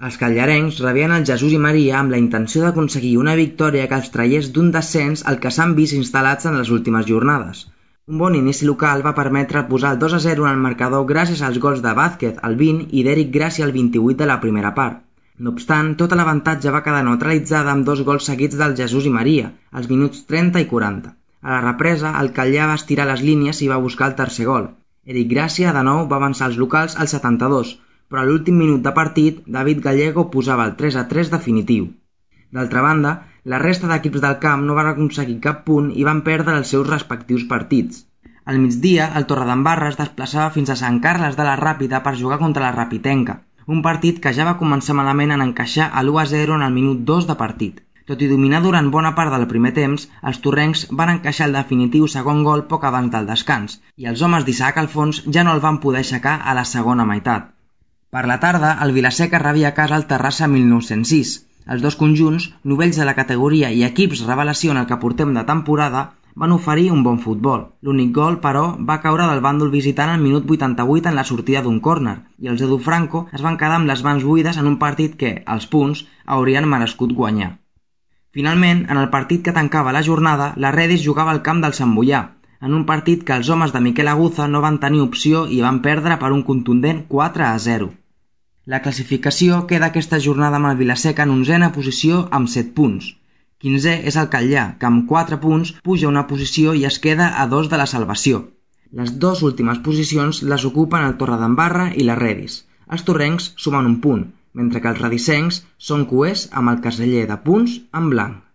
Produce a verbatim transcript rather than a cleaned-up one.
Els callarencs rebien el Jesús i Maria amb la intenció d'aconseguir una victòria que els traiés d'un descens al que s'han vist instal·lats en les últimes jornades. Un bon inici local va permetre posar el dos a zero en el marcador gràcies als gols de Vázquez al vint i d'Eric Gràcia al vint-i-vuit de la primera part. No obstant, tota l'avantatge va quedar neutralitzada amb dos gols seguits del Jesús i Maria, als minuts trenta i quaranta. A la represa, el Calllà va estirar les línies i va buscar el tercer gol. Eric Gràcia, de nou, va avançar els locals al setanta-dos, però a l'últim minut de partit, David Gallego posava el tres a tres definitiu. D'altra banda, la resta d'equips del camp no van aconseguir cap punt i van perdre els seus respectius partits. Al migdia, el Torredembarra es desplaçava fins a Sant Carles de la Ràpita per jugar contra la Rapitenca, un partit que ja va començar malament en encaixar a l'u a zero en el minut dos de partit. Tot i dominar durant bona part del primer temps, els torrencs van encaixar el definitiu segon gol poc abans del descans, i els homes d'Isaac Alfons ja no el van poder aixecar a la segona meitat. Per la tarda, el Vilaseca rebia a casa el Terrassa mil nou-cents sis. Els dos conjunts, novells de la categoria i equips revelació en el que portem de temporada, van oferir un bon futbol. L'únic gol, però, va caure del bàndol visitant al minut vuitanta-vuit en la sortida d'un córner, i els Edu Franco es van quedar amb les mans buides en un partit que, als punts, haurien merescut guanyar. Finalment, en el partit que tancava la jornada, la Redis jugava al camp del Sant Boià, en un partit que els homes de Miquel Aguza no van tenir opció i van perdre per un contundent quatre a zero. La classificació queda aquesta jornada amb el Vilaseca en onzena posició amb set punts. quinzè és el Calllà, que amb quatre punts puja una posició i es queda a dos de la salvació. Les dues últimes posicions les ocupen el Torredembarra i la Redis. Els torrencs sumen un punt, mentre que els redisencs són coers amb el caseller de punts en blanc.